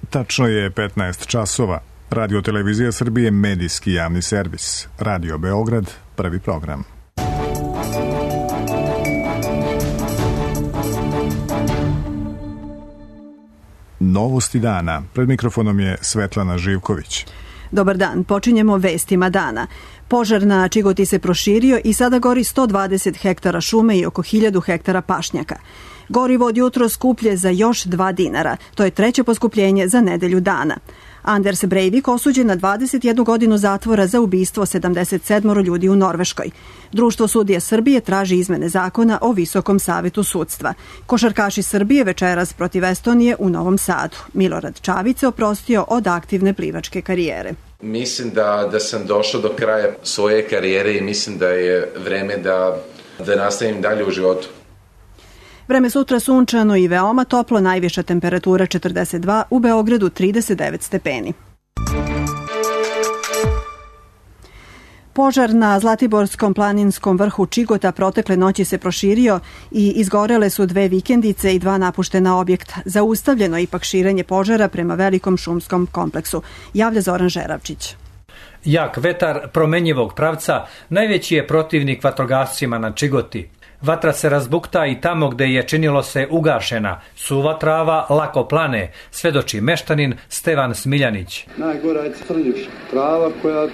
Tačno je 15 časova. Radio Televizija Srbije, medijski javni servis. Radio Beograd, prvi program. Novosti dana. Pred mikrofonom je Svetlana Živković. Dobar dan, počinjemo vestima dana. Požar na Čigoti se proširio i sada gori 120 hektara šume i oko 1000 hektara pašnjaka. Gorivo od jutro skuplje za još 2 dinara. To je treće poskupljenje za nedelju dana. Anders Breivik osuđen na 21 godinu zatvora za ubistvo 77 ljudi u Norveškoj. Društvo sudija Srbije traži izmene zakona o Visokom savetu sudstva. Košarkaši Srbije večeras protiv Estonije u Novom Sadu. Milorad Čavić se oprostio od aktivne plivačke karijere. Mislim da sam došao do kraja svoje karijere i mislim da je vreme da nastavim dalje u životu. Vreme sutra sunčano i veoma toplo, najviša temperatura 42, u Beogradu 39 stepeni. Požar na Zlatiborskom planinskom vrhu Čigota protekle noći se proširio i izgorele su 2 vikendice i 2 napuštena objekta. Zaustavljeno ipak širenje požara prema velikom šumskom kompleksu, javlja Zoran Žeravčić. Jak vetar promenjivog pravca najveći je protivnik vatrogascima na Čigoti. Vatra se razbukta i tamo gde je činilo se ugašena. Suva trava lako plane, svedoči meštanin Stevan Smiljanić. Najgora je crnjuša. Trava koja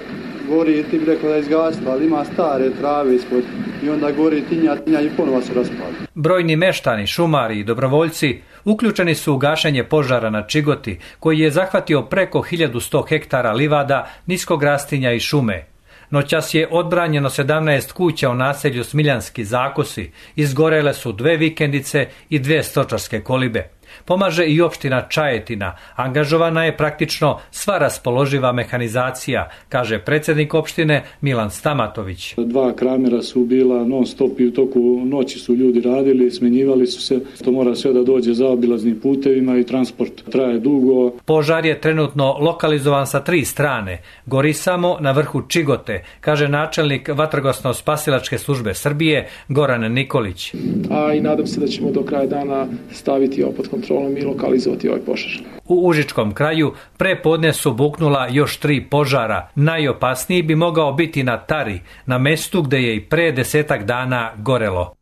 gori, ti bi rekla da je izgasla, ali ima stare trave ispod i onda gori tinja i ponovo se raspali. Brojni meštani, šumari i dobrovoljci uključeni su u gašenje požara na Čigoti, koji je zahvatio preko 1100 hektara livada, niskog rastinja i šume. Noćas je odbranjeno 17 kuća u naselju Smiljanski Zakosi, izgorele su 2 vikendice i 2 stočarske kolibe. Pomaže i opština Čajetina, angažovana je praktično sva raspoloživa mehanizacija, kaže predsjednik opštine Milan Stamatović. 2 kramera su bila non stop i u toku noći su ljudi radili, smenjivali su se. To mora sve da dođe zaobilaznim putevima i transport traje dugo. Požar je trenutno lokalizovan sa 3 strane. Gori samo na vrhu Čigote, kaže načelnik Vatrogasno-spasilačke službe Srbije Goran Nikolić. A i nadam se da ćemo do kraja dana staviti ovo pod kontrolom i lokalizovati ovaj požar. U Užičkom kraju prepodne su buknula još 3 požara. Najopasniji bi mogao biti na Tari, na mestu gde je i pre 10 dana gorelo.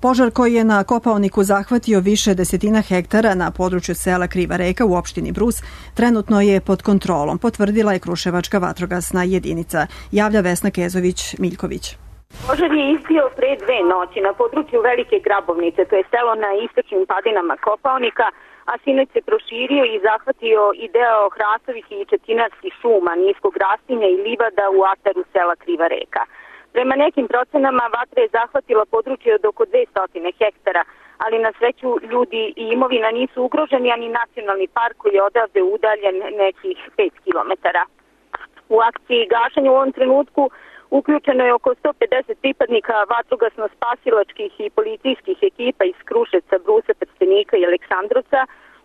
Požar koji je na Kopaoniku zahvatio više desetina hektara na području sela Kriva Reka u opštini Brus, trenutno je pod kontrolom, potvrdila je Kruševačka vatrogasna jedinica, javlja Vesna Kezović-Miljković. Požar je izbio pre 2 noći na području Velike Grabovnice, to je selo na istočnim padinama Kopaonika, a sinoć se proširio i zahvatio i deo hrastovih i četinarskih šuma, niskog rastinja i livada u ataru sela Kriva Reka. Prema nekim procenama vatra je zahvatila područje od oko 200 hektara, ali na sreću ljudi i imovina nisu ugroženi, ani nacionalni park koji je odavde udaljen nekih 5 kilometara. U akciji gašenja u ovom trenutku uključeno je oko 150 pripadnika vatrogasno-spasilačkih i policijskih ekipa iz Kruševca, Brusa, Trstenika i Aleksandrovca.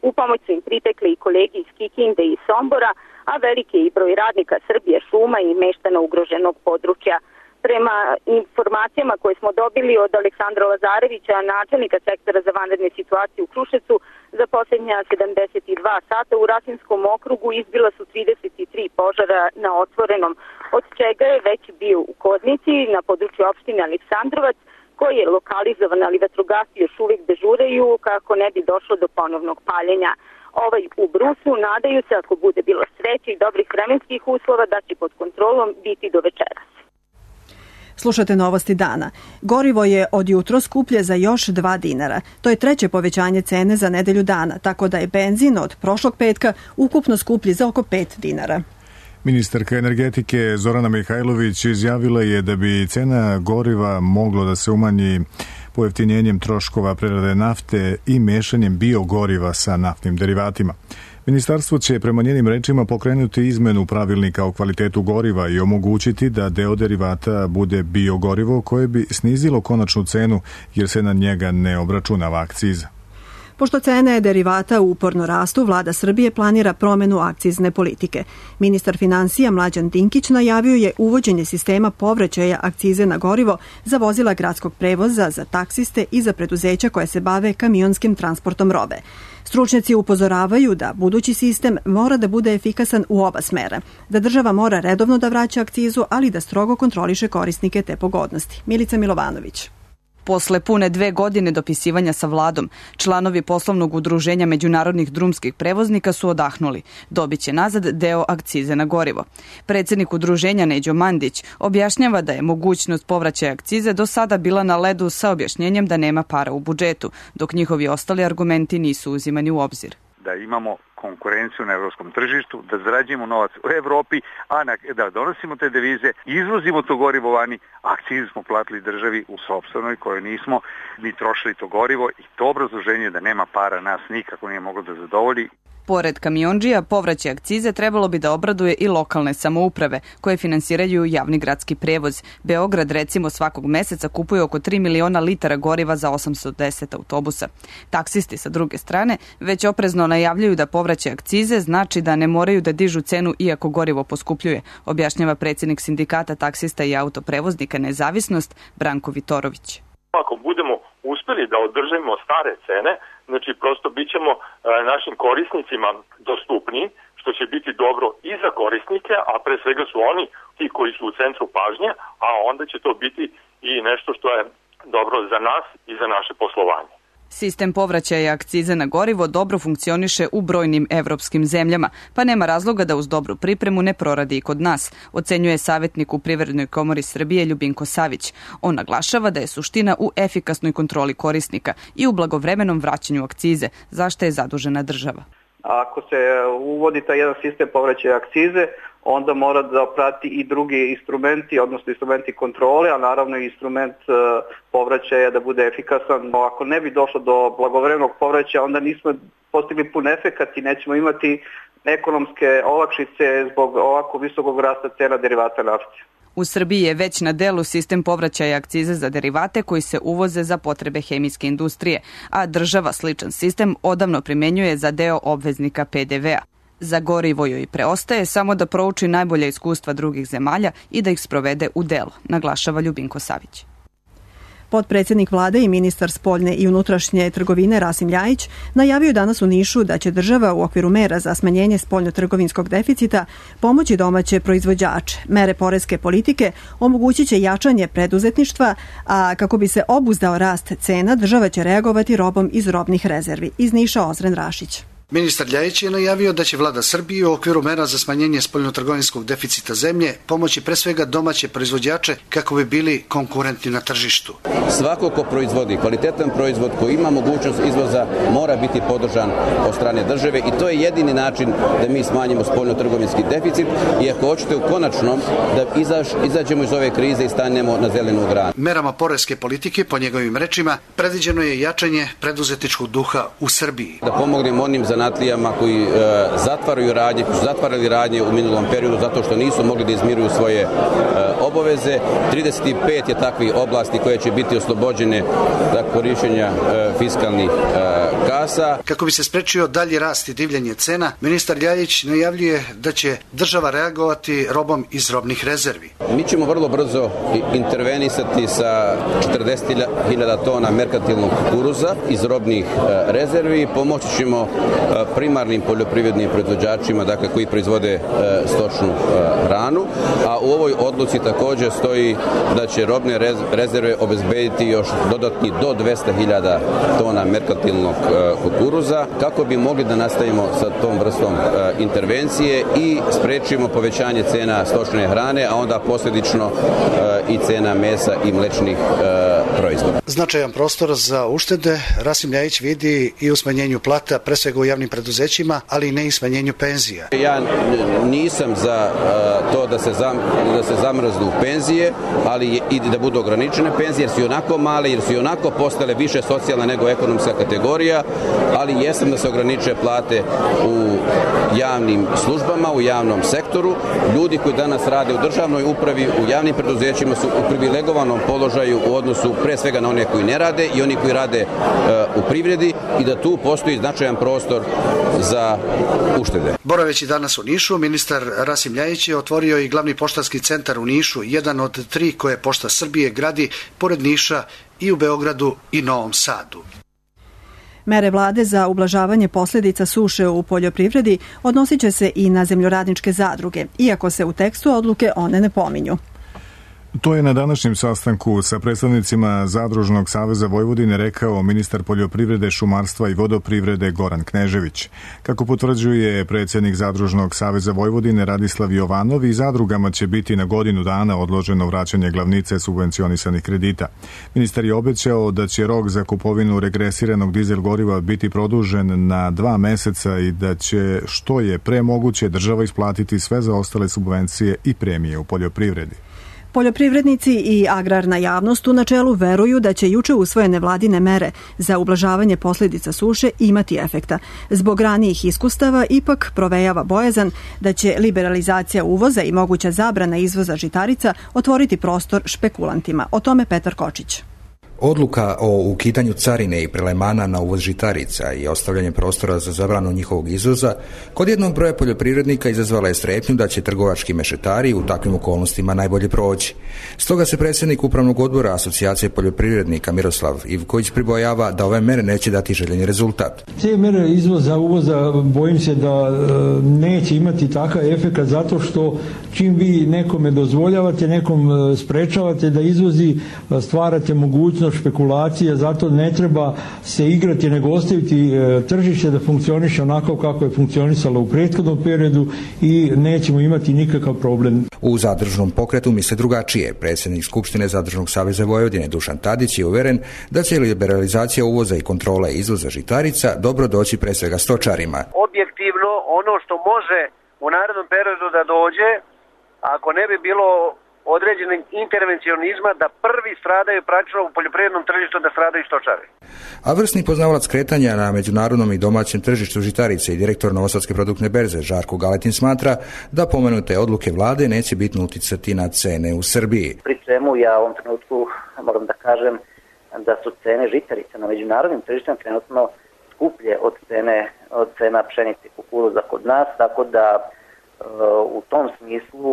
U pomoć su im pritekli i kolegi iz Kikinde i Sombora, a veliki je i broj radnika Srbije šuma i meštana ugroženog područja. Prema informacijama koje smo dobili od Aleksandra Lazarevića, načelnika sektora za vanredne situacije u Kruševcu, za posljednja 72 sata u Rasinskom okrugu izbila su 33 požara na otvorenom, od čega je već bio u Koznici na području opštine Aleksandrovac, koji je lokalizovan, ali vatrogasci još uvijek dežuraju kako ne bi došlo do ponovnog paljenja. Ovaj u Brusu nadaju se, ako bude bilo sreće i dobrih vremenskih uslova, da će pod kontrolom biti do večeras. Slušate novosti dana. Gorivo je od jutro skuplje za još 2 dinara. To je treće povećanje cene za nedelju dana, tako da je benzin od prošlog petka ukupno skuplji za oko 5 dinara. Ministarka energetike Zorana Mihajlović izjavila je da bi cena goriva moglo da se umanji pojeftinjenjem troškova prerade nafte i mešanjem biogoriva sa naftnim derivatima. Ministarstvo će prema njenim rečima pokrenuti izmenu pravilnika o kvalitetu goriva i omogućiti da deo derivata bude biogorivo koje bi snizilo konačnu cenu jer se na njega ne obračunava akciza. Pošto cene derivata uporno rastu, vlada Srbije planira promenu akcizne politike. Ministar finansija Mlađan Dinkić najavio je uvođenje sistema povraćaja akcize na gorivo za vozila gradskog prevoza, za taksiste i za preduzeća koje se bave kamionskim transportom robe. Stručnjaci upozoravaju da budući sistem mora da bude efikasan u oba smera, da država mora redovno da vraća akcizu, ali da strogo kontroliše korisnike te pogodnosti. Milica Milovanović. Posle pune 2 godine dopisivanja sa vladom, članovi poslovnog udruženja međunarodnih drumskih prevoznika su odahnuli. Dobiće nazad deo akcize na gorivo. Predsednik udruženja Neđo Mandić objašnjava da je mogućnost povraćaja akcize do sada bila na ledu sa objašnjenjem da nema para u budžetu, dok njihovi ostali argumenti nisu uzimani u obzir. Da imamo konkurenciju na evropskom tržištu, da zarađujemo novac u Evropi, a da donosimo te devize, izvozimo to gorivo vani, akcizu smo platili državi u sopstvenoj kojoj nismo ni trošili to gorivo i to obrazloženje da nema para nas nikako nije moglo da zadovolji. Pored kamiondžija, povraćaj akcize trebalo bi da obraduje i lokalne samouprave koje finansiraju javni gradski prevoz. Beograd recimo svakog meseca kupuje oko 3 miliona litara goriva za 810 autobusa. Taksisti sa druge strane već oprezno najavljuju da povraćaj akcize znači da ne moraju da dižu cenu iako gorivo poskupljuje, objašnjava predsjednik sindikata taksista i autoprevoznika Nezavisnost Branko Vitorović. Ako budemo uspeli da održimo stare cene, znači prosto bit ćemo našim korisnicima dostupniji, što će biti dobro i za korisnike, a pre svega su oni ti koji su u centru pažnje, a onda će to biti i nešto što je dobro za nas i za naše poslovanje. Sistem povraćaja akcize na gorivo dobro funkcioniše u brojnim evropskim zemljama, pa nema razloga da uz dobru pripremu ne proradi i kod nas, ocenjuje savjetnik u Privrednoj komori Srbije Ljubinko Savić. On naglašava da je suština u efikasnoj kontroli korisnika i u blagovremenom vraćanju akcize, za što je zadužena država. Ako se uvodi taj jedan sistem povraćaja akcize, onda mora da prati i drugi instrumenti, odnosno instrumenti kontrole, a naravno i instrument povraćaja da bude efikasan. Ako ne bi došlo do blagovremenog povraćaja, onda nismo postigli pun efekat i nećemo imati ekonomske olakšice zbog ovako visokog rasta cena derivata nafte. U Srbiji je već na delu sistem povraćaja akcize za derivate koji se uvoze za potrebe hemijske industrije, a država sličan sistem odavno primenjuje za deo obveznika PDV-a. Za gorivo joj preostaje samo da prouči najbolja iskustva drugih zemalja i da ih sprovede u delo, naglašava Ljubinko Savić. Potpredsjednik vlade i ministar spoljne i unutrašnje trgovine Rasim Ljajić najavio danas u Nišu da će država u okviru mera za smanjenje spoljnotrgovinskog deficita pomoći domaće proizvođače. Mere poreske politike omogućit će jačanje preduzetništva, a kako bi se obuzdao rast cena, država će reagovati robom iz robnih rezervi. Iz Niša Ozren Rašić. Ministar Ljajić je najavio da će vlada Srbije u okviru mera za smanjenje spoljnotrgovinskog deficita zemlje pomoći pre svega domaće proizvođače kako bi bili konkurentni na tržištu. Svako ko proizvodi kvalitetan proizvod koji ima mogućnost izvoza mora biti podržan od strane države i to je jedini način da mi smanjimo spoljnotrgovinski deficit i ako hoćete u konačnom da izađemo iz ove krize i stanemo na zelenu granu. Merama poreske politike, po njegovim rečima, predviđeno je jačanje preduzetničkog duha u Srbiji. Da pomognemo onim zanatlijama koji zatvaraju radnje, koji su zatvarali radnje u minulom periodu zato što nisu mogli da izmiruju svoje obaveze. 35 je takvih oblasti koje će biti oslobođene za korišćenja fiskalnih kasa. Kako bi se sprečio dalji rast i divljanje cena, ministar Ljajić najavljuje da će država reagovati robom iz robnih rezervi. Mi ćemo vrlo brzo intervenisati sa 40.000 tona merkantilnog kukuruza iz robnih rezervi. Pomoći ćemo primarnim poljoprivrednim proizvođačima, dakle koji proizvode stočnu hranu, a u ovoj odluci također stoji da će robne rezerve obezbediti još dodatni do 200.000 tona merkantilnog kukuruza kako bi mogli da nastavimo sa tom vrstom intervencije i sprečimo povećanje cena stočne hrane, a onda posljedično i cena mesa i mlečnih proizvoda. Značajan prostor za uštede Rasim Ljajić vidi i u smanjenju plata, pre svega u javnim javnim preduzećima, ali i ne i smanjenju penzija. Ja nisam za to da se zamrznu penzije, ali i da budu ograničene penzije, jer su i onako male, jer su i onako postale više socijalna nego ekonomska kategorija, ali jesam da se ograniče plate u javnim službama, u javnom sektoru. Ljudi koji danas rade u državnoj upravi, u javnim preduzećima su u privilegovanom položaju u odnosu pre svega na one koji ne rade i oni koji rade u privredi i da tu postoji značajan prostor za uštede. Boraveći danas u Nišu, ministar Rasim Ljajić je otvorio i glavni poštanski centar u Nišu, jedan od 3 koje Pošta Srbije gradi pored Niša i u Beogradu i Novom Sadu. Mere vlade za ublažavanje posljedica suše u poljoprivredi odnosit će se i na zemljoradničke zadruge, iako se u tekstu odluke one ne pominju. To je na današnjem sastanku sa predstavnicima Zadružnog saveza Vojvodine rekao ministar poljoprivrede, šumarstva i vodoprivrede Goran Knežević. Kako potvrđuje predsjednik Zadružnog saveza Vojvodine Radislav Jovanov, i zadrugama će biti na godinu dana odloženo vraćanje glavnice subvencionisanih kredita. Ministar je obećao da će rok za kupovinu regresiranog dizel goriva biti produžen na 2 meseca i da će što je pre moguće država isplatiti sve zaostale subvencije i premije u poljoprivredi. Poljoprivrednici i agrarna javnost u načelu veruju da će juče usvojene vladine mere za ublažavanje posljedica suše imati efekta. Zbog ranijih iskustava ipak provejava bojazan da će liberalizacija uvoza i moguća zabrana izvoza žitarica otvoriti prostor špekulantima. O tome Petar Kočić. Odluka o ukidanju carine i prelevmana na uvoz žitarica i ostavljanje prostora za zabranu njihovog izvoza kod jednog broja poljoprivrednika izazvala je strepnju da će trgovački mešetari u takvim okolnostima najbolje proći. Stoga se predsjednik Upravnog odbora Asocijacije poljoprivrednika Miroslav Ivković pribojava da ove mere neće dati željeni rezultat. Te mere izvoza, uvoza, bojim se da neće imati takav efekt zato što čim vi nekome dozvoljavate, nekom sprečavate da izvozi, stvarate mogućnost špekulacije, zato ne treba se igrati nego ostaviti tržište da funkcioniše onako kako je funkcionisalo u prethodnom periodu i nećemo imati nikakav problem. U Zadružnom pokretu misle drugačije. Predsjednik Skupštine Zadružnog saveza Vojvodine Dušan Tadić je uveren da će liberalizacija uvoza i kontrola izvoza žitarica dobro doći pre svega stočarima. Objektivno ono što može u narednom periodu da dođe, ako ne bi bilo određenog intervencionizma, da prvi stradaju praktično u poljoprivrednom tržištu, da stradaju stočari. A vrsni poznavalac kretanja na međunarodnom i domaćem tržištu žitarice i direktor Novosadske produktne berze Žarko Galetin smatra da pomenute odluke vlade neće bitno uticati na cene u Srbiji. Pri čemu ja u ovom trenutku moram da kažem da su cene žitarice na međunarodnim tržištima trenutno skuplje od cena pšenice i kukuruza kod nas, tako da u tom smislu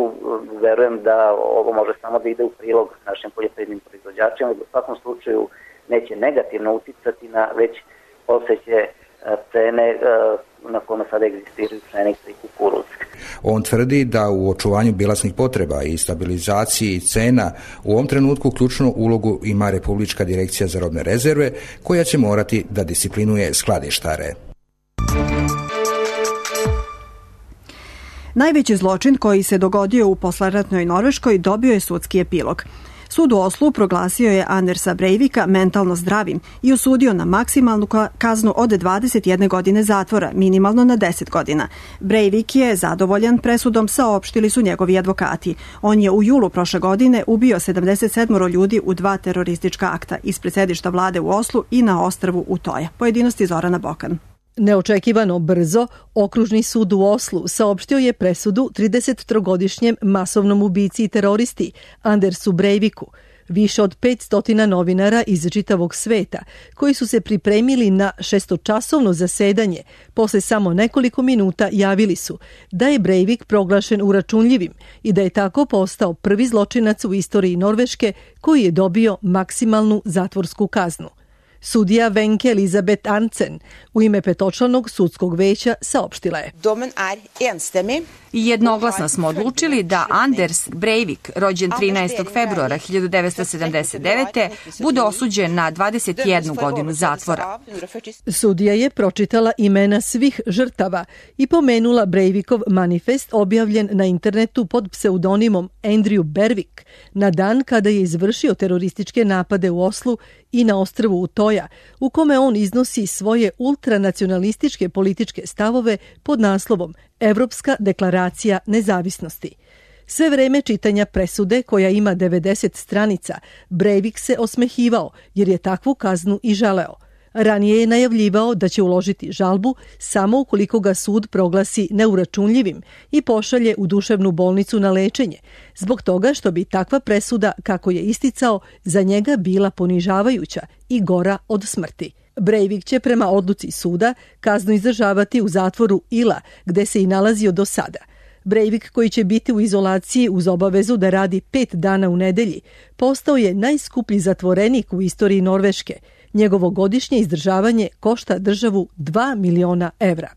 verujem da ovo može samo da ide u prilog našim poljoprivrednim proizvođačima i u svakom slučaju neće negativno uticati na već postojeće cene na kome sada egzistiraju pšenica i kukuruz. On tvrdi da u očuvanju bilansnih potreba i stabilizaciji cena u ovom trenutku ključnu ulogu ima Republička direkcija za robne rezerve, koja će morati da disciplinuje skladištare. Najveći zločin koji se dogodio u posleratnoj Norveškoj dobio je sudski epilog. Sud u Oslu proglasio je Andersa Breivika mentalno zdravim i osudio na maksimalnu kaznu od 21 godine zatvora, minimalno na 10 godina. Breivik je zadovoljan presudom, saopštili su njegovi advokati. On je u julu prošle godine ubio 77 ljudi u 2 teroristička akta ispred sedišta vlade u Oslu i na ostrvu Utoja. Pojedinosti Zorana Bokan. Neočekivano brzo, Okružni sud u Oslu saopštio je presudu 33-godišnjem masovnom ubici i teroristi Andersu Breiviku. Više od 500 novinara iz čitavog sveta koji su se pripremili na 6-časovno zasedanje posle samo nekoliko minuta javili su da je Breivik proglašen uračunljivim i da je tako postao prvi zločinac u istoriji Norveške koji je dobio maksimalnu zatvorsku kaznu. Sudija Wenche Elisabeth Arntzen u ime petočlanog sudskog veća saopštila je: Jednoglasno smo odlučili da Anders Breivik, rođen 13. februara 1979. bude osuđen na 21 godinu zatvora. Sudija je pročitala imena svih žrtava i pomenula Breivikov manifest objavljen na internetu pod pseudonimom Andrew Bervik na dan kada je izvršio terorističke napade u Oslu i na ostrvu Utoja, u kome on iznosi svoje ultranacionalističke političke stavove pod naslovom Evropska deklaracija nezavisnosti. Sve vreme čitanja presude, koja ima 90 stranica, Breivik se osmehivao jer je takvu kaznu i želeo. Ranije je najavljivao da će uložiti žalbu samo ukoliko ga sud proglasi neuračunljivim i pošalje u duševnu bolnicu na lečenje, zbog toga što bi takva presuda, kako je isticao, za njega bila ponižavajuća i gora od smrti. Breivik će prema odluci suda kaznu izdržavati u zatvoru Ila, gde se i nalazio do sada. Breivik, koji će biti u izolaciji uz obavezu da radi 5 dana u nedelji, postao je najskuplji zatvorenik u istoriji Norveške. Njegovo godišnje izdržavanje košta državu 2 miliona evra.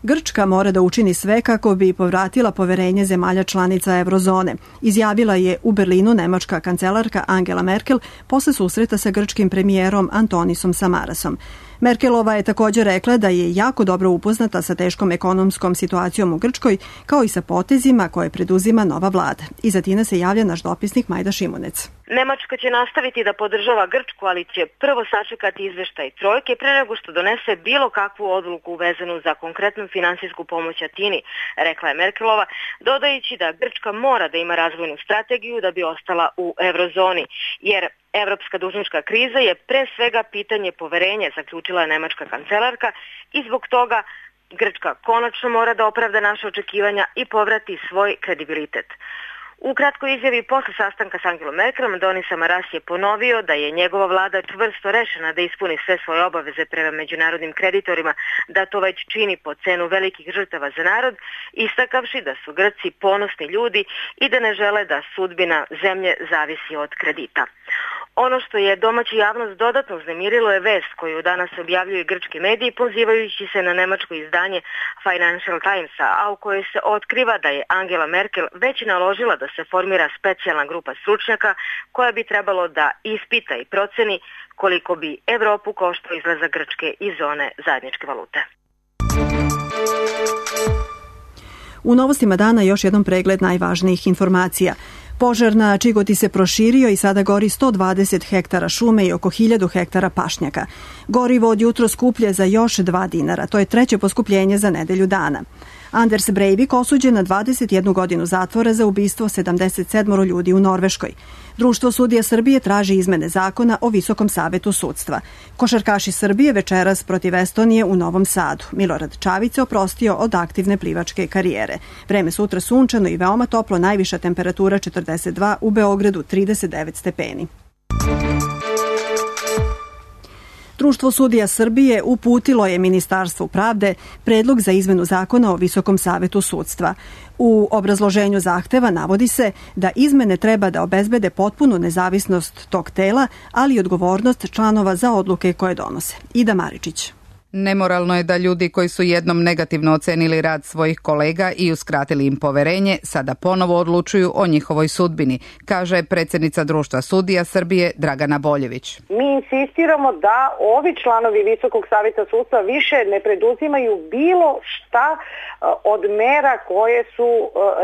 Grčka mora da učini sve kako bi povratila poverenje zemalja članica eurozone, izjavila je u Berlinu nemačka kancelarka Angela Merkel posle susreta sa grčkim premijerom Antonisom Samarasom. Merkelova je također rekla da je jako dobro upoznata sa teškom ekonomskom situacijom u Grčkoj, kao i sa potezima koje preduzima nova vlada. Iz Atine se javlja naš dopisnik Majda Šimunec. Nemačka će nastaviti da podržava Grčku, ali će prvo sačekati izveštaj trojke pre nego što donese bilo kakvu odluku vezanu za konkretnu finansijsku pomoć Atini, rekla je Merkelova, dodajući da Grčka mora da ima razvojnu strategiju da bi ostala u eurozoni, jer evropska dužnička kriza je pre svega pitanje poverenja, zaključila je nemačka kancelarka, i zbog toga Grčka konačno mora da opravda naše očekivanja i povrati svoj kredibilitet. U kratkoj izjavi posle sastanka s Angelom Merkelom, Antonis Samaras je ponovio da je njegova vlada čvrsto rešena da ispuni sve svoje obaveze prema međunarodnim kreditorima, da to već čini po cenu velikih žrtava za narod, istakavši da su Grci ponosni ljudi i da ne žele da sudbina zemlje zavisi od kredita. Ono što je domaća javnost dodatno uznemirilo je vest koju danas objavljuju grčki mediji, pozivajući se na nemačko izdanje Financial Timesa, a u kojoj se otkriva da je Angela Merkel već naložila da se formira specijalna grupa stručnjaka koja bi trebalo da ispita i proceni koliko bi Evropu koštao izlazak Grčke iz zone zajedničke valute. U novostima dana još jednom pregled najvažnijih informacija. Požar na Čigoti se proširio i sada gori 120 hektara šume i oko 1000 hektara pašnjaka. Gorivo od jutro skuplje za još 2 dinara. To je treće poskupljenje za nedelju dana. Anders Breivik osuđen na 21 godinu zatvora za ubistvo 77 ljudi u Norveškoj. Društvo sudija Srbije traži izmene zakona o Visokom savetu sudstva. Košarkaši Srbije večeras protiv Estonije u Novom Sadu. Milorad Čavić se oprostio od aktivne plivačke karijere. Vreme sutra sunčano i veoma toplo, najviša temperatura 42, u Beogradu 39 stepeni. Društvo sudija Srbije uputilo je Ministarstvu pravde predlog za izmenu zakona o Visokom savetu sudstva. U obrazloženju zahteva navodi se da izmene treba da obezbede potpunu nezavisnost tog tela, ali i odgovornost članova za odluke koje donose. Ida Maričić. Nemoralno je da ljudi koji su jednom negativno ocenili rad svojih kolega i uskratili im poverenje, sada ponovo odlučuju o njihovoj sudbini, kaže predsjednica Društva sudija Srbije Dragana Boljević. Mi insistiramo da ovi članovi Visokog savjeta sudstva više ne preduzimaju bilo šta od mera koje su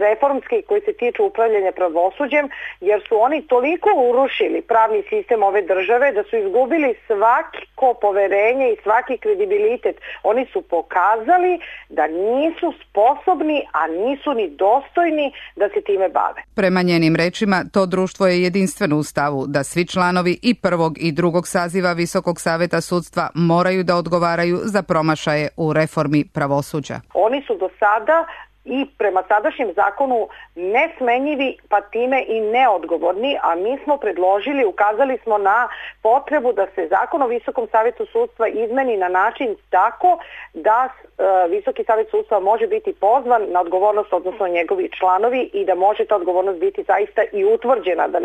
reformske i koje se tiču upravljanja pravosuđem, jer su oni toliko urušili pravni sistem ove države da su izgubili svako poverenje i svaki kredibilitet. Oni su pokazali da nisu sposobni, a nisu ni dostojni da se time bave. Prema njenim rečima, to društvo je jedinstveno u stavu da svi članovi i prvog i drugog saziva Visokog savjeta sudstva moraju da odgovaraju za promašaje u reformi pravosuđa. Oni su do sada i prema sadašnjem zakonu nesmenjivi, pa time i neodgovorni, a mi smo predložili, ukazali smo na potrebu da se zakon o Visokom savjetu sudstva izmeni na način tako da Visoki savjet sudstva može biti pozvan na odgovornost, odnosno njegovi članovi, i da može ta odgovornost biti zaista i utvrđena, da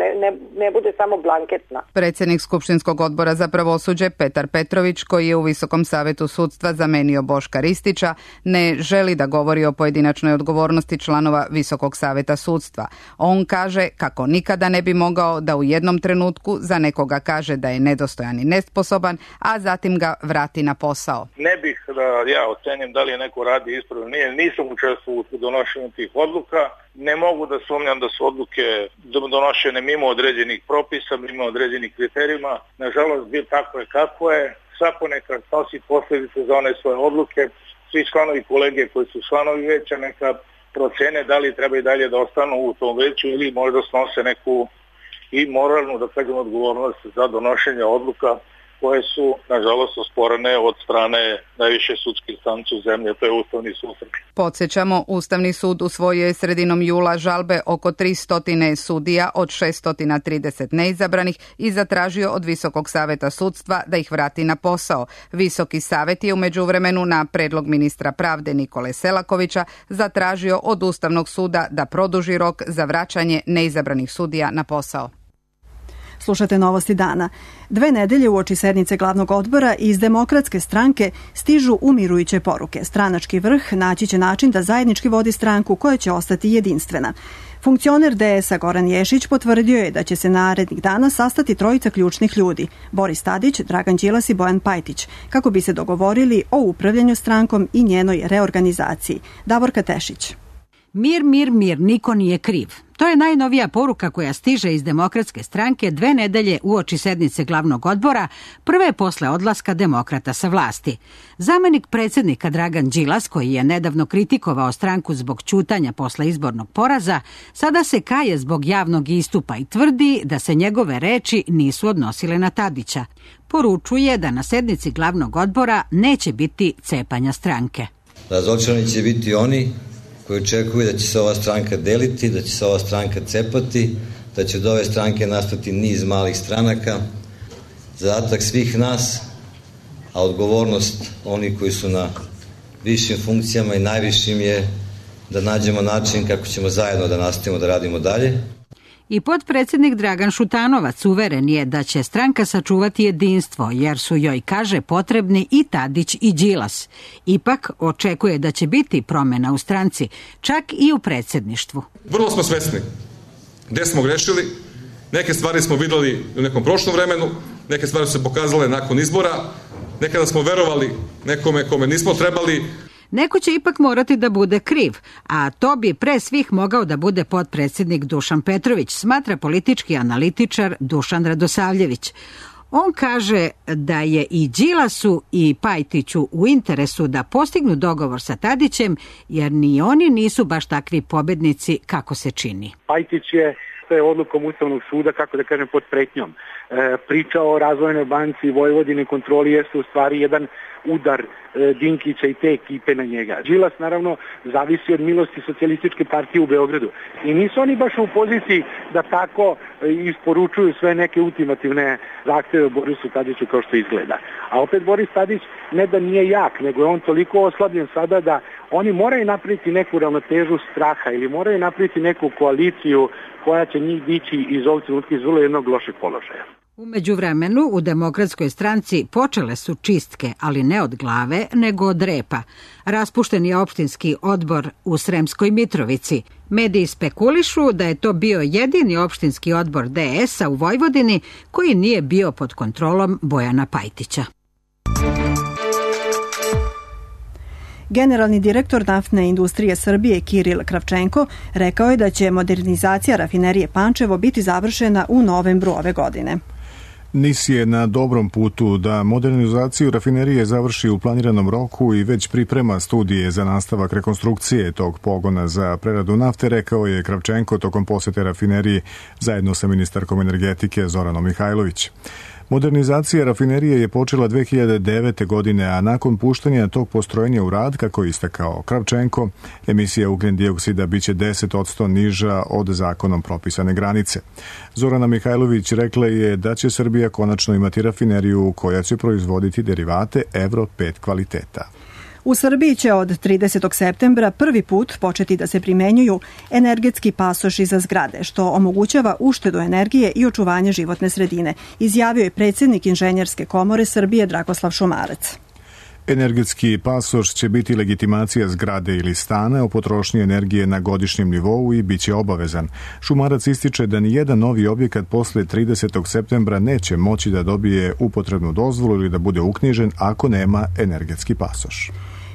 ne bude samo blanketna. Predsjednik Skupštinskog odbora za pravosuđe Petar Petrović, koji je u Visokom savjetu sudstva zamenio Boška Ristića, ne želi da govori o pojedinačnoj odgovornosti članova Visokog savjeta sudstva. On kaže kako nikada ne bi mogao da u jednom trenutku za nekoga kaže da je nedostojan i nesposoban, a zatim ga vrati na posao. Ne bih da ja ocenim da li je neko radi ispravno, nisam učestvovao u donošenju tih odluka. Ne mogu da sumnjam da su odluke donošene mimo određenih propisa, mimo određenih kriterijuma. Nažalost, tako je kako je. Svako neka snosi posljedice za one svoje odluke. Svi članovi kolege koji su članovi veća neka procene da li treba i dalje da ostanu u tom veću ili možda snose neku i moralnu, da kažem, odgovornost za donošenje odluka koje su, nažalost, osporene od strane najviše sudske instance u zemlji, to je Ustavni sud. Podsjećamo, Ustavni sud usvojio je sredinom jula žalbe oko 300 sudija od 630 neizabranih i zatražio od Visokog saveta sudstva da ih vrati na posao. Visoki savet je u međuvremenu na predlog ministra pravde Nikole Selakovića zatražio od Ustavnog suda da produži rok za vraćanje neizabranih sudija na posao. Slušate Novosti dana. 2 nedelje uoči sednice glavnog odbora iz Demokratske stranke stižu umirujuće poruke. Stranački vrh naći će način da zajednički vodi stranku koja će ostati jedinstvena. Funkcioner DS-a Goran Ješić potvrdio je da će se narednih dana sastati 3 ključnih ljudi, Boris Tadić, Dragan Đilas i Bojan Pajtić, kako bi se dogovorili o upravljanju strankom i njenoj reorganizaciji. Davorka Tešić. Mir, mir, mir, niko nije kriv. To je najnovija poruka koja stiže iz Demokratske stranke 2 nedelje uoči sednice glavnog odbora, prve posle odlaska demokrata sa vlasti. Zamenik predsjednika Dragan Đilas, koji je nedavno kritikovao stranku zbog ćutanja posle izbornog poraza, sada se kaje zbog javnog istupa i tvrdi da se njegove reči nisu odnosile na Tadića. Poručuje da na sednici glavnog odbora neće biti cepanja stranke. Razočarani će biti oni koji očekuju da će se ova stranka deliti, da će se ova stranka cepati, da će od ove stranke nastati niz malih stranaka. Zadatak svih nas, a odgovornost onih koji su na višim funkcijama i najvišim je da nađemo način kako ćemo zajedno da nastavimo da radimo dalje. I potpredsjednik Dragan Šutanovac uveren je da će stranka sačuvati jedinstvo, jer su joj, kaže, potrebni i Tadić i Đilas. Ipak očekuje da će biti promjena u stranci, čak i u predsjedništvu. Vrlo smo svesni gdje smo grešili, neke stvari smo vidjeli u nekom prošlom vremenu, neke stvari su se pokazale nakon izbora, nekada smo verovali nekome kome nismo trebali. Neko će ipak morati da bude kriv, a to bi pre svih mogao da bude potpredsjednik Dušan Petrović, smatra politički analitičar Dušan Radosavljević. On kaže da je i Đilasu i Pajtiću u interesu da postignu dogovor sa Tadićem, jer ni oni nisu baš takvi pobednici kako se čini. Pajtić je odlukom Ustavnog suda, kako da kažem, pod pretnjom. Priča o Razvojnoj banci Vojvodine kontroli jeste u stvari jedan udar Dinkića i te ekipe na njega. Đilas naravno zavisi od milosti Socijalističke partije u Beogradu. I nisu oni baš u poziciji da tako isporučuju sve neke ultimativne zahteve Borisu Tadiću kao što izgleda. A opet Boris Tadić ne da nije jak, nego je on toliko oslabljen sada da oni moraju napraviti neku ravnotežu straha ili moraju napraviti neku koaliciju koja će njih dići iz ovog trenutka iz vrlo jednog lošeg položaja. U međuvremenu u Demokratskoj stranci počele su čistke, ali ne od glave, nego od repa. Raspušten je opštinski odbor u Sremskoj Mitrovici. Mediji spekulišu da je to bio jedini opštinski odbor DS-a u Vojvodini koji nije bio pod kontrolom Bojana Pajtića. Generalni direktor naftne industrije Srbije Kiril Kravčenko rekao je da će modernizacija rafinerije Pančevo biti završena u novembru ove godine. NIS je na dobrom putu da modernizaciju rafinerije završi u planiranom roku i već priprema studije za nastavak rekonstrukcije tog pogona za preradu nafte, rekao je Kravčenko tokom posete rafinerije zajedno sa ministarkom energetike Zoranom Mihajlović. Modernizacija rafinerije je počela 2009. godine, a nakon puštanja tog postrojenja u rad, kako je istakao Kravčenko, emisija ugljen dioksida biće 10% niža od zakonom propisane granice. Zorana Mihajlović rekla je da će Srbija konačno imati rafineriju koja će proizvoditi derivate Euro 5 kvaliteta. U Srbiji će od 30. septembra prvi put početi da se primenjuju energetski pasoši za zgrade, što omogućava uštedu energije i očuvanje životne sredine, izjavio je predsjednik Inženjerske komore Srbije Dragoslav Šumarac. Energetski pasoš će biti legitimacija zgrade ili stana o potrošnji energije na godišnjem nivou i bit će obavezan. Šumarac ističe da nijedan novi objekat posle 30. septembra neće moći da dobije upotrebnu dozvolu ili da bude uknjižen ako nema energetski pasoš.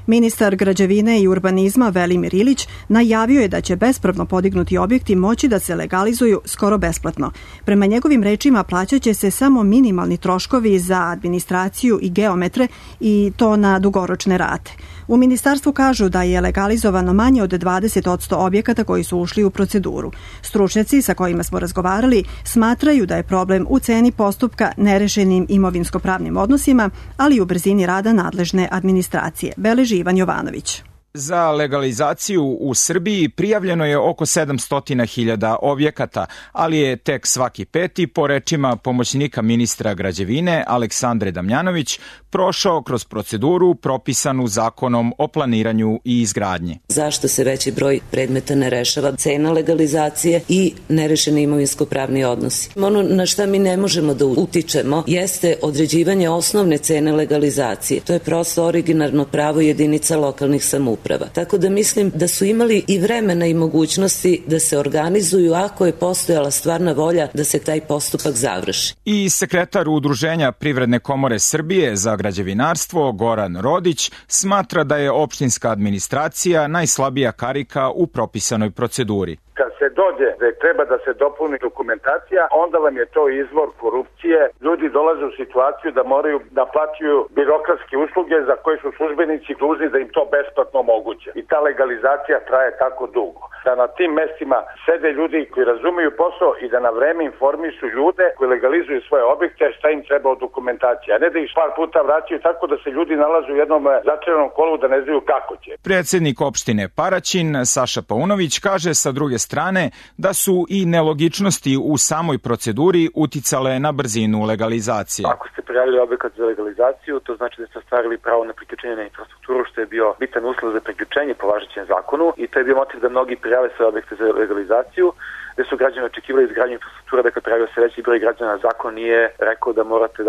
Ministar građevine i urbanizma Velimir Ilić najavio je da će bespravno podignuti objekti moći da se legalizuju skoro besplatno. Prema njegovim rečima plaćaće se samo minimalni troškovi za administraciju i geometre i to na dugoročne rate. U ministarstvu kažu da je legalizovano manje od 20% objekata koji su ušli u proceduru. Stručnjaci sa kojima smo razgovarali smatraju da je problem u ceni postupka, nerešenim imovinsko-pravnim odnosima, ali i u brzini rada nadležne administracije. Beleži Ivan Jovanović. Za legalizaciju u Srbiji prijavljeno je oko 700.000 objekata, ali je tek svaki peti, po rečima pomoćnika ministra građevine Aleksandre Damjanović, prošao kroz proceduru propisanu Zakonom o planiranju i izgradnji. Zašto se veći broj predmeta ne rešava? Cena legalizacije i nerešeni imovinsko-pravni odnosi. Ono na šta mi ne možemo da utičemo jeste određivanje osnovne cene legalizacije. To je prosto originarno pravo jedinica lokalnih samouprava. Tako da mislim da su imali i vremena i mogućnosti da se organizuju ako je postojala stvarna volja da se taj postupak završi. I sekretar Udruženja Privredne komore Srbije za građevinarstvo Goran Rodić smatra da je opštinska administracija najslabija karika u propisanoj proceduri. Kad se dođe da treba da se dopuni dokumentacija, onda vam je to izvor korupcije. Ljudi dolaze u situaciju da moraju da plaćaju birokratske usluge za koje su službenici dužni da im to besplatno omoguće. I ta legalizacija traje tako dugo. Da na tim mestima sede ljudi koji razumiju posao i da na vreme informišu ljude koji legalizuju svoje objekte šta im treba od dokumentacije, a ne da ih par puta vraćaju tako da se ljudi nalaze u jednom začaranom kolu da ne znaju kako će. Predsednik opštine Paraćin Saša Paunović kaže sa druge strane da su i nelogičnosti u samoj proceduri uticale na brzinu legalizacije. Ako ste prijavili objekat za legalizaciju, to znači da ste ostvarili pravo na priključenje na infrastrukturu, što je bio bitan uslov za priključenje po važećem zakonu i to je bio motiv da mnogi prijave svoje objekte za legalizaciju, gde su građani očekivali izgradnju infrastrukture, dakle prijavio se veći broj građana, zakon nije rekao da morate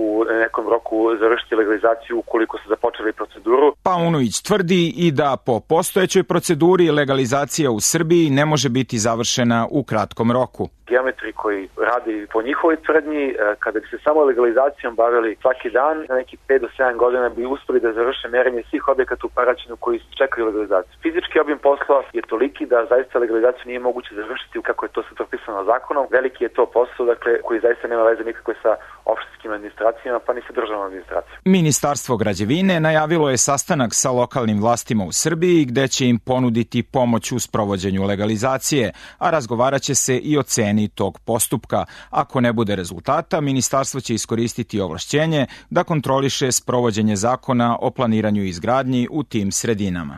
u nekom roku završiti legalizaciju ukoliko ste započeli proceduru. Paunović tvrdi i da po postojećoj proceduri legalizacija u Srbiji ne može biti završena u kratkom roku. Geometri koji radi po njihovoj tvrdnji, kada bi se samo legalizacijom bavili svaki dan, na neki 5 do 7 godina bi uspeli da završe merenje svih objekata u Paraćinu koji čekaju legalizaciju. Fizički obim posla je toliki da zaista legalizaciju nije moguće završiti kako je to sve propisano zakonom. Veliki je to posao, koji zaista nema veze nikakve sa opštinskim administracijama, pa ni sa državnom administracijom. Ministarstvo građevine najavilo je sastanak sa lokalnim vlastima u Srbiji gde će im ponuditi pomoć u sprovođenju legalizacije, a razgovarat će se i o ceni tog postupka. Ako ne bude rezultata, ministarstvo će iskoristiti ovlašćenje da kontroliše sprovođenje zakona o planiranju i izgradnji u tim sredinama.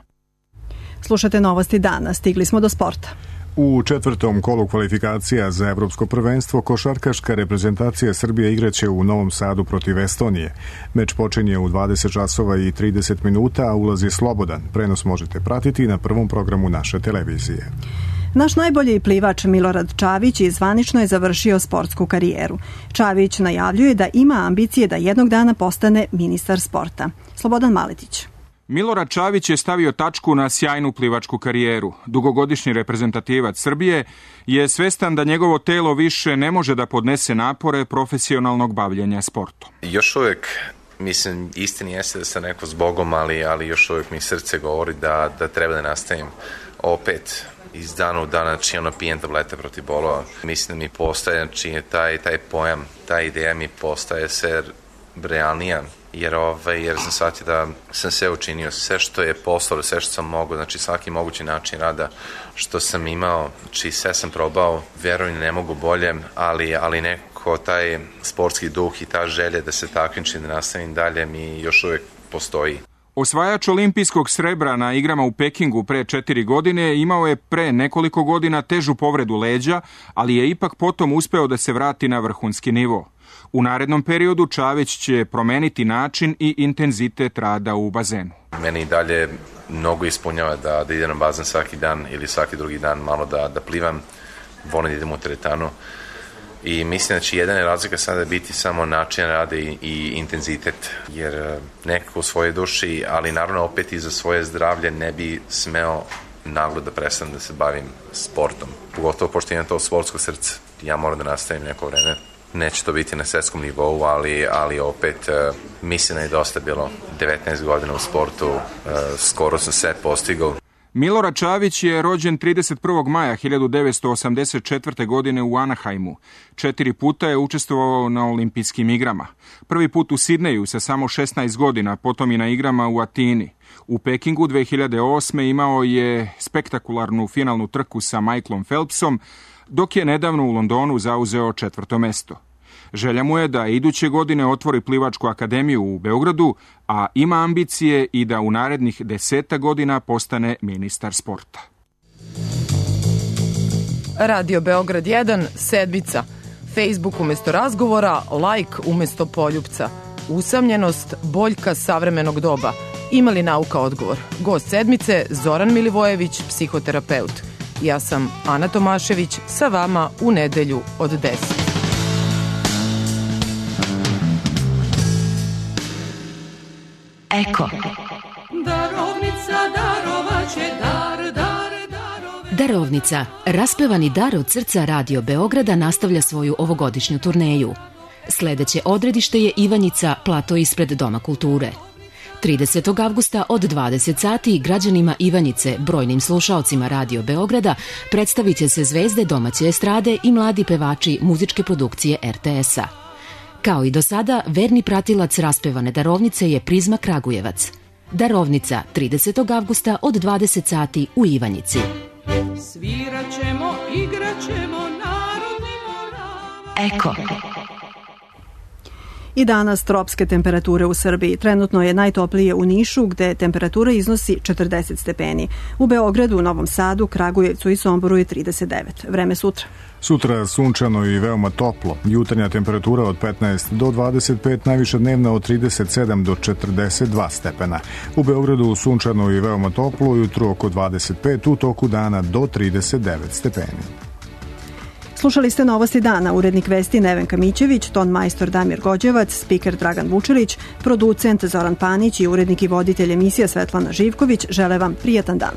Slušate novosti dana, stigli smo do sporta. U četvrtom kolu kvalifikacija za evropsko prvenstvo košarkaška reprezentacija Srbije igraće u Novom Sadu protiv Estonije. Meč počinje u 20 časova i 30 minuta, a ulaz je slobodan. Prenos možete pratiti na prvom programu naše televizije. Naš najbolji plivač Milorad Čavić zvanično je završio sportsku karijeru. Čavić najavljuje da ima ambicije da jednog dana postane ministar sporta. Slobodan Maletić. Milorad Čavić je stavio tačku na sjajnu plivačku karijeru. Dugogodišnji reprezentativac Srbije je svestan da njegovo telo više ne može da podnese napore profesionalnog bavljenja sportom. Još uvijek, mislim, istini jeste da sam neko s Bogom, ali još uvijek mi srce govori da treba da nastavim opet iz dana u dana, pijem tablete protiv bolova. Mislim da mi postaje, taj pojam, ta ideja mi postaje sve realnija, jer sam shvatio da sam sve učinio, sve što je poslao, sve što sam mogao, znači svaki mogući način rada što sam imao, znači sve sam probao, verujem ne mogu bolje, ali neko taj sportski duh i ta želja da se takmičim, da nastavim dalje mi još uvijek postoji. Osvajač olimpijskog srebra na igrama u Pekingu pre 4 godine imao je pre nekoliko godina težu povredu leđa, ali je ipak potom uspeo da se vrati na vrhunski nivo. U narednom periodu Čavić će promeniti način i intenzitet rada u bazenu. Meni dalje mnogo ispunjava da idem na bazen svaki dan ili svaki drugi dan malo da plivam, volim da idem u teretanu. I mislim da će jedina razlika sada biti samo način rada i intenzitet, jer nekako u svojoj duši, ali naravno opet i za svoje zdravlje ne bi smeo naglo da prestanem da se bavim sportom. Pogotovo pošto imam to sportsko srce. Ja moram da nastavim neko vreme. Neće to biti na svetskom nivou, ali opet mislim da je dosta bilo 19 godina u sportu, skoro sam sve postigao. Milorad Čavić je rođen 31. maja 1984. godine u Anaheimu. 4 puta je učestvovao na olimpijskim igrama. Prvi put u Sidneju sa samo 16 godina, potom i na igrama u Atini. U Pekingu 2008. imao je spektakularnu finalnu trku sa Michaelom Phelpsom, dok je nedavno u Londonu zauzeo 4. mesto. Želja mu je da iduće godine otvori plivačku akademiju u Beogradu, a ima ambicije i da u narednih 10 godina postane ministar sporta. Radio Beograd 1, sedmica. Facebook umjesto razgovora, like umjesto poljupca. Usamljenost, boljka savremenog doba. Ima li nauka odgovor? Gost sedmice, Zoran Milivojević, psihoterapeut. Ja sam Ana Tomašević, sa vama u nedelju od 10. Eko. Darovnica, raspevani dar od srca Radio Beograda nastavlja svoju ovogodišnju turneju. Sledeće odredište je Ivanjica, plato ispred Doma kulture. 30. avgusta od 20 sati građanima Ivanjice, brojnim slušaocima Radio Beograda, predstavit će se zvezde domaće estrade i mladi pevači muzičke produkcije RTS-a. Kao i do sada, verni pratilac raspevane darovnice je Prizma Kragujevac. Darovnica, 30. avgusta od 20 sati u Ivanjici. Svirat ćemo, igrat ćemo, narodni morava. Eko. I danas tropske temperature u Srbiji. Trenutno je najtoplije u Nišu, gde temperatura iznosi 40 stepeni. U Beogradu, Novom Sadu, Kragujevcu i Somboru je 39. Vreme sutra. Sutra sunčano i veoma toplo. Jutarnja temperatura od 15 do 25, najviša dnevna od 37 do 42 stepena. U Beogradu sunčano i veoma toplo, jutro oko 25, u toku dana do 39 stepeni. Slušali ste Novosti dana, urednik vesti Nevenka Mićević, ton majstor Damir Gođevac, spiker Dragan Vučelić, producent Zoran Panić i urednik i voditelj emisija Svetlana Živković žele vam prijatan dan.